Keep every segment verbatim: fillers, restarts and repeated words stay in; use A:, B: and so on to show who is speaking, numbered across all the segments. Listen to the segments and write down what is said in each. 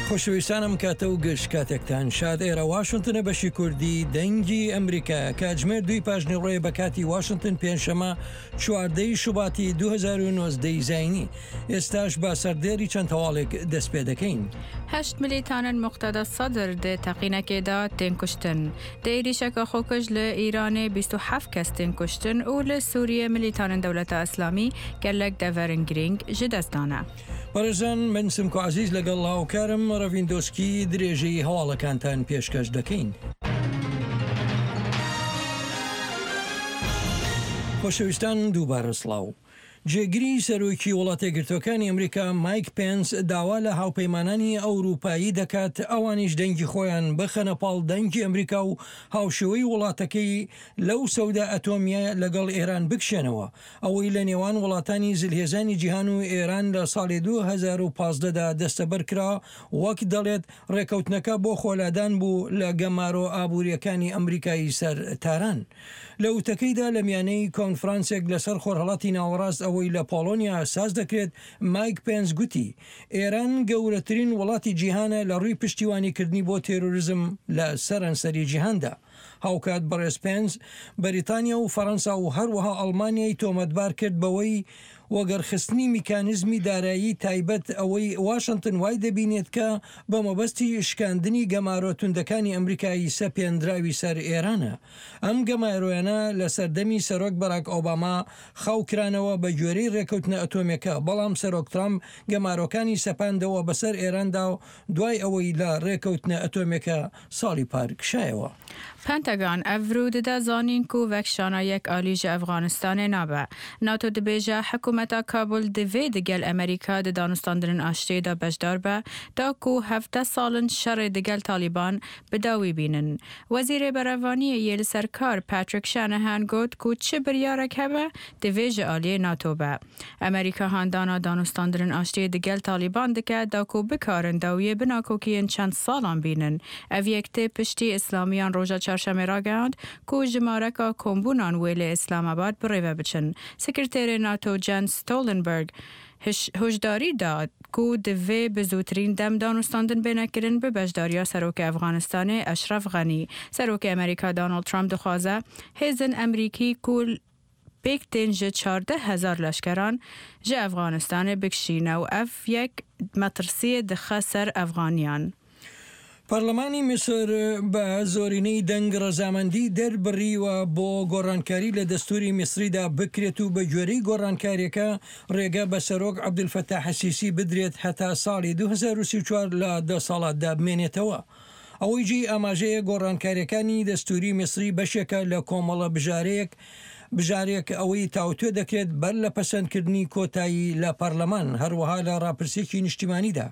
A: خۆشەویستانم، کاتە و گشت کاتێکتان شاد. ئێرە واشنتنە، بەشی کوردی دەنگی ئەمریکا. کاتژمێر دووی پاژنیوەڕۆیە بە کاتی واشنتن، پێنجشەمە چواردەی شوباتی دوو هەزار و نۆزدە زاینی. ئێستاش بە سەردێری چەند هەواڵێک دەست پێ دەکەین.
B: هەشت ملیتانên Muqteda Sadr di teqînekê de tên kuştin. Di êrîşeke xwekuj li Îranê bîst û heft kes tên kuştin û li Sûriyê milîtanên Dewleta Îslamî gelek deverên girîng ji dest dane.
A: بەڕێزان، من سمکۆ عزیز لەگەڵ هاوکارم ڕەڤین دۆسکی درێژەی هەواڵەکانتان پێشکەش دەکەین. خۆشەویستان، دووبارە سڵاو. جێگری سەرۆکی وڵاتە یەکگرتووەکانی ئەمریکا مایک پێنس داوا لە هاوپەیمانانی ئەوروپایی دەکات ئەوانیش دەنگی خۆیان بخەنە پاڵ دەنگی ئەمریکا و هاوشێوەی وڵاتەکەی لەو سەودا ئەتۆمیە لەگەڵ ئێران بکشێنەوە، ئەوەی لە نێوان وڵاتانی زلهێزانی جیهان و ئێران لە ساڵی دوو هەزار و پازدە دا دەستەبەر کرا. وەک دەڵێت، ڕێکەوتنەکە بۆ خۆلادان بوو لە گەمارۆ ئابووریەکانی ئەمریکایی سەر تاران. لە وتەکەیدا لە میانەی کۆنفرانسێک لەسەر خۆرهەڵاتی ناوەڕاست ئەوەی لە پۆڵۆنیا ساز دەکرێت، مایک پێنس گوتی ئێران گەورەترین وڵاتی جیهانە لە ڕووی پشتیوانیکردنی بۆ تێرۆریزم لە سەرانسەری جیهاندا. هاوکات بەڕێز پێنس بەریتانیا و فەرەنسا و هەروەها ئەڵمانیای تۆمەتبار کرد بەوەی وەگەرخستنی میکانیزمی دارایی تایبەت، ئەوەی واشنتن وای دەبینێت کە بە مەبەستی شکاندنی گەمارۆ توندەکانی ئەمریکایی سەپێندراوی سەر ئێرانە. ئەم گەمارۆیانە لە سەردەمی سەرۆک بەراک ئۆباما خاوکرانەوە بە گوێرەی ڕێکەوتنە ئەتۆمێکە، بەڵام سەرۆک ترامپ گەمارۆکانی سەپاندەوە بەسەر ئێراندا و دوای ئەوەی لە ڕێکەوتنە ئەتۆمێکە ساڵی پار کشایەوە.
B: Pentagon îro dide zanîn ku vekişana yek alî ji Efxanistanê nabe. NATO dibêje hikûmeta Kabul divê digel Amerîka di danûstandinên aştiyê de beşdar be da ku hevdeh sal in şerê digel Taliban bi dawî bînin. Wezîrê Berevaniyê yê li ser kar Patrick Shanahan got ku çi biryarek hebe divê ji aliyê NATO be. Amerîka handana danûstandinên aştiyê digel Taliban dike da ku bikarin dawiyê bi nakokiyên çend salan bînin. Ev yek tê piştî İslamiyan roja çarşemê ragihand ku jimareka kombûnan wê li Islamabad birêve biçin. Sekreterê NATO Jens Stoltenberg hişdarî da ku divê bi zûtirîn dem danûstandin bêne kirin bi beşdariya Serokê Efxanistanê Eşref Xenî. Serokê Amerîka Donald Trump dixwaze hêzên Amerîkî ku pêk tên ji çardeh hezar leşkeran ji Efxanistanê bikişîne û ev yek metirsiyê dixe ser Efxaniyan.
A: پەرلەمانی میسر بە زۆرینەی دەنگ ڕەزامەندی دەربڕیوە بۆ گۆڕانکاری لە دەستوری میسریدا بکرێت و بە گوێرەی گۆڕانکاریەکە ڕێگە بە سەرۆک عەبدولفەتاح سیسی بدرێت هەتا ساڵی دوو هەزار و سی و چوار لە دەسەڵاتدا بمێنێتەوە. ئەوەی جێی ئاماژەیە، گۆڕانکاریەکانی دەستوری میسری بەشێکە لە کۆمەڵە بژارەیەک بژارێک ئەوەی تاوتوێ دەکرێت بەر لە پەسەندکردنی کۆتایی لە پەرلەمان، هەروەها لە ڕاپرسێکی نیشتیمانیدا.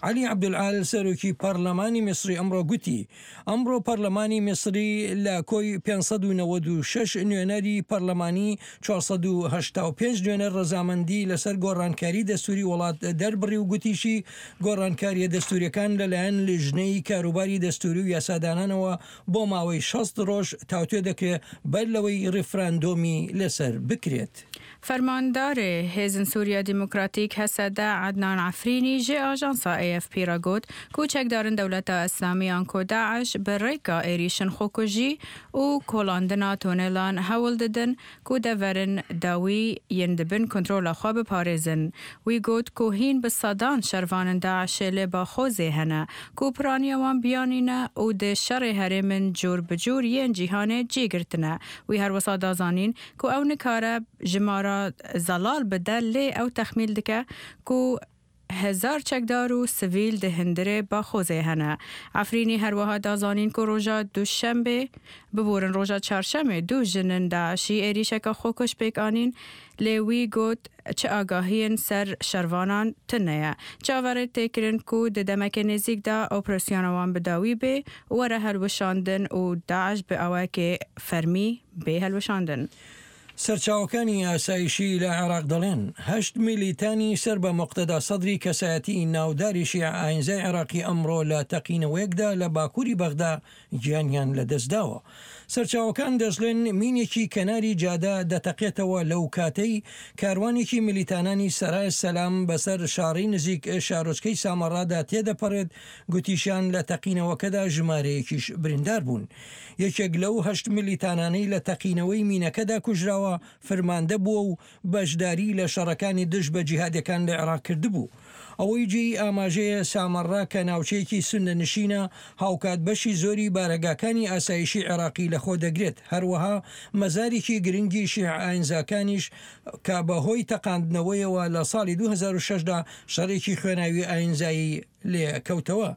A: علی عەبدولعال سەرۆکی پەرلەمانی میسری ئەمڕۆ گوتی ئەمڕۆ پەرلەمانی میسری لە کۆی پێنج سەد و نەوەد و شەش نوێنەری پەرلەمانی چوار سەد و هەشتا و پێنج نوێنەر ڕەزامەندی لەسەر گۆڕانکاری دەستوری وڵات دەربڕی و گوتیشی گۆڕانکاریە دەستوریەکان لەلایەن لیژنەی کاروباری دەستوری و یاسادانانەوە بۆ ماوەی شەست ڕۆژ تاوتوێ دەکرێت بەر لەوەی ڕیفراندۆمی لەسەر بکرێت.
B: Fermandarê Hêzên Sûriya Demokratîk Hesede Ednan Efrînî ji ajansa A F P re got ku çekdarên Dewleta Îslamî anku Daeş bi rêka êrîşên xwekujî û kolandina tonelan hewl didin ku deverên dawî yên di bin kontrola xwe biparêzin. Wî got ku hîn bi sedan şervanên Daeşê li Baxozê hene ku piraniya wan biyanî ne û di şerê herêmên cûr bi cûr yên cîhanê cî girtine. Wî her wisa da zanîn ku ew nikare jimara zelal bide, lê ew texmîn dike ku hezar çekdar û sivîl di hundirê Baxozê hene. Efrînî her wiha da zanîn ku roja duşembê, biborin, roja çarşemê du jinên Daeşî êrîşeke xwekuj pêk anîn, lê wî got çi agahiyên ser şervanan tune ye. Çaverê tê kirin ku di demeke nêzîk de operasyona wan bi dawî bê û were hilweşandin û Daeş bi awayekê fermî bê hilweşandin.
A: سەرچاوەکانی ئاسایشی لە عێراق دەڵێن هەشت میلیتانی سەر بە مقتەدا سەدری، کەسایەتی ناوداری شیعە ئاینزای عێراقی، ئەمڕۆ لە تەقینەوەیەکدا لە باکووری بەغدا گیانیان لەدەستداوە. سەرچاوەکان دەشڵێن مینێکی کەناری جادە دەتەقێتەوە لەو کاتەی کاروانێکی ملیتانانی سەرای سەلام بەسەر شاڕی نزیک شارۆچکەی سامەڕادا تێدەپەڕێت. گوتیشیان لە تەقینەوەکەدا ژمارەیەکیش بریندار بوون. یەکێک لەو هەشت ملیتانانەی لە تەقینەوەی مینەکەدا کوژراوە فرماندە بووە و بەشداری لە شەڕەکانی دژ بە جیهادەکان لە عێراق کردبوو. ئەوەی جێی ئاماژەیە سامەڕا کە ناوچەیەکی سوننە نشینە هاوکات بەشی زۆری بارەگاکانی ئاسایشی عێراقی لەخۆ دەگرێت، هەروەها مەزارێکی گرنگی شیعە ئاینزاکانیش کە بەهۆی تەقاندنەوەیەوە لە ساڵی دوو هەزار و شەش دا شەڕێکی خوێناوی ئاینزایی لێ کەوتەوە.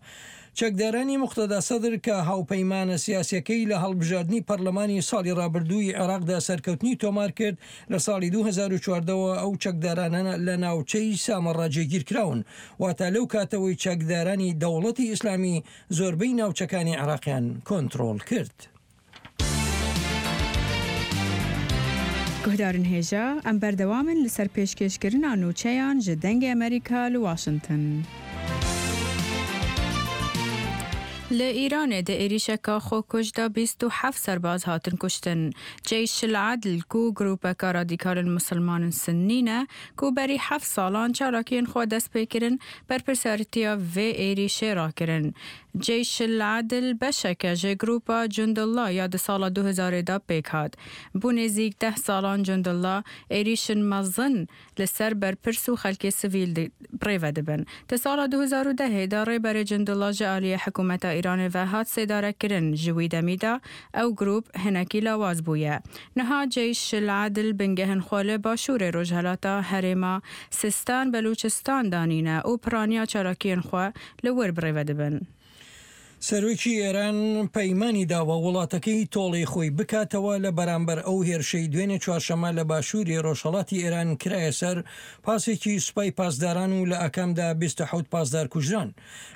A: چەکدارانی موقتەدا سەدر کە هاوپەیمانە سیاسیەکەی لە هەڵبژاردنی پەرلەمانی ساڵی ڕابردووی عێراقدا سەرکەوتنی تۆمار کرد، لە ساڵی دوو هەزار و چواردە وە ئەو چەکدارانە لە ناوچەی سامەڕا جێگیرکراون، واتە لەو کاتەوەی چەکدارانی دەوڵەتی ئیسلامی زۆربەی ناوچەکانی عێراقیان کۆنترۆڵ کرد.
B: گوهدارن هێژا ئەم بەردەوامن لەسەر پێشکێشکردنا نوچەیان ji دەنگê ئەمریکا li Washington. لە ئیرانێ دە êrîşeka xwekuj da bîst û heft serbaz hatin kuştin. Ceyş el-Adl ku grûpeka radîkalên Misilmanên Sinnî ne ku berî heft salan çalakiyên xwe dest pê kirin, berpirsiyaretiya vê êrîşê rakirin. Ceyş el-Adl beşeke ji grûpa Cundullah ya di sala du hezarê da pêk hat. Bû nêzîk deh salan Cundullah êrîşên mezin li ser berpirs û xelkê sivîl birêve dibin. Di sala du hezar û dehê da rêberê Cundullah ji aliyê hikûmeta İranê ve hat sêdarekirin. Ji wî demî da ew grûp hinekî lawaz bûye. Niha Ceyş el-Adl bingehên xwe li başûrê rojhilata herêma Sistan Belûçistan danîne û piraniya çalakiyên xwe li wir birêve dibin.
A: سەرۆکی ئێران پەیمانی داوە وڵاتەکەی تۆڵەی خۆی بکاتەوە لە بەرامبەر ئەو هێرشەی دوێنێ چوارشەممە لە باشووری ڕۆژهەڵاتی ئێران کرایە سەر پاسێکی سوپای پاسداران و لە ئاکامدا بیست و حەوت پاسدار کوژران.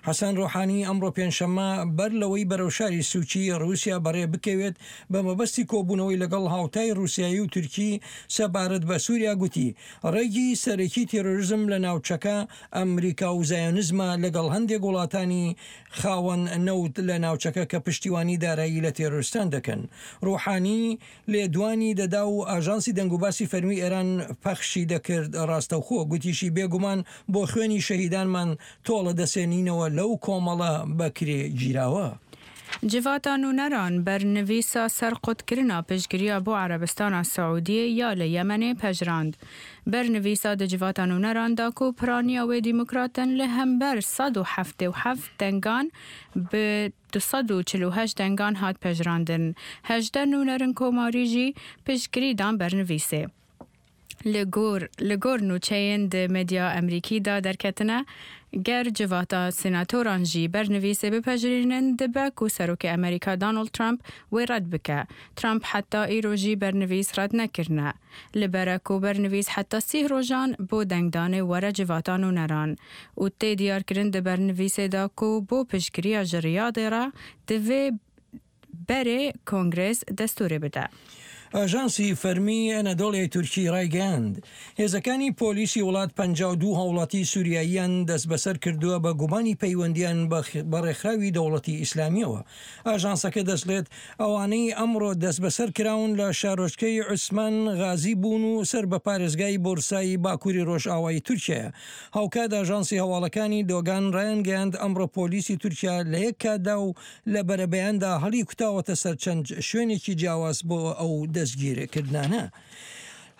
A: حەسەن ڕۆحانی ئەمڕۆ پێنجشەممە بەر لەوەی بەرەو شاری سوچی ڕووسیا بەڕێ بکەوێت بە مەبەستی کۆبوونەوەی لەگەڵ هاوتای ڕووسیایی و تورکی سەبارەت بە سووریا گوتی ڕێگی سەرەکی تێرۆریزم لە ناوچەکە ئەمریکا و زایۆنیزمە لەگەڵ هەندێک وڵاتانی خاوەن نەوت لە ناوچەکە کە پشتیوانی دارایی لە تێرۆریستان دەکەن. ڕۆحانی لێدوانی دەدا و ئاژانسی دەنگوباسی فەرمی ئێران پەخشی دەکرد ڕاستەوخۆ، گوتیشی بێگومان بۆ خوێنی شەهیدانمان تۆڵە دەسێنینەوە لەو کۆمەڵە بەکرێ گیراوە.
B: جڤاتا نوونەران بەرنویسا سەرقوتکردنا پشتگیریya بۆ عەرەبستانا سعودیە یا لە یەمەنê pejirand. بەرنویسا di جڤاتا نوونەران da ku piraniya wê demokratên li hember sed û heftê û heft dengan bi du sed û çil û heşt dengan hat pejirandin. Hejdeh nûnerên komarî jî piştgirî dan bernivîsê. Li gor li gor nûçeyên di medya Amerîkî da derketine ger civata senatoran jî bernivîsê bipejirînin dibe ku serokê Amerîka Donald Trump wê red bike. Trump heta îro jî bernivîs red nekirine. Li ber e ku bernivîs heta sîh rojan bo dengdanê were civata nûneran û tê diyarkirin di bernivîsê da ku bo piştgiriya ji Riyadê re divê berê Kongres destûrê bide.
A: ئاژانسی فەرمی ئەنەدۆڵیای تورکی ڕایگەیاند هێزەکانی پۆلیسی وڵات پەنجا و دوو هاوڵاتی سووریاییان دەستبەسەر کردووە بە گومانی پەیوەندیان بە ڕێکخراوی دەوڵەتی ئیسلامیەوە. ئاژانسەکە دەشڵێت ئەوانەی ئەمڕۆ دەستبەسەر کراون لە شارۆچکەی عوسمان غازی بوون و سەر بە پارێزگای بۆرسایی باکووری ڕۆژئاوای تورکیایە. هاوکات ئاژانسی هەواڵەکانی دۆگان ڕایانگەیاند ئەمڕۆ پۆلیسی تورکیا لە یەک کاتدا و لە بەرەبەیاندا هەڵی کوتاوەتە سەر چەند شوێنێکی جیاواز بۆ ئەو دەستگیرکردنانە.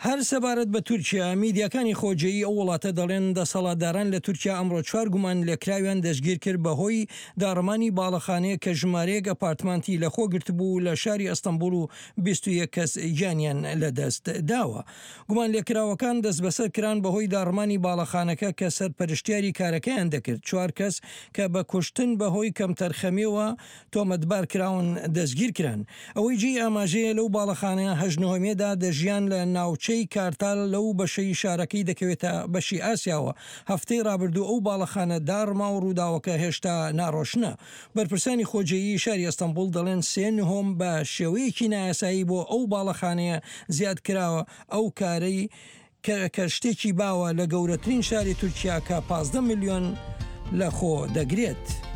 A: هەر سەبارەت بە تورکیا، میدیاکانی خۆجێی ئەو وڵاتە دەڵێن دەسەڵاتداران لە تورکیا ئەمڕۆ چوار گومان لێکراویان دەستگیر کرد بەهۆی داڕمانی باڵەخانەیە کە ژمارەیەک ئەپارتمانتی لەخۆ گرتبوو لە شاری ئەستەنبوڵ و بیست و یەک کەس گیانیان لەدەست داوە. گومان لێکراوەکان دەستبەسەر کران بەهۆی داڕمانی باڵەخانەکە کە سەرپەرشتیاری کارەکەیان دەکرد. چوار کەس کە بە کوشتن بەهۆی کەمتەرخەمیەوە تۆمەتبار کراون دەستگیر کران. ئەوەی جێی ئاماژەیە لەو باڵەخانەیە هەشت نهۆمیەدا دەژیان لە ناوچە کارتال لەو بەشەی شارەکەی دەکەوێتە بەشی ئاسیاوە. هەفتەی ڕابردوو ئەو باڵەخانە داڕما و ڕووداوەکە هێشتا ناڕۆشنە. بەرپرسانی خۆجێیی شاری ئەستەنبوڵ دەڵێن سێ نهۆم بە شێوەیەکی نایاسایی بۆ ئەو باڵەخانەیە زیاد کراوە، ئەو کارەی کە شتێکی باوە لە گەورەترین شاری تورکیا کە پازدە ملیۆن لەخۆ دەگرێت.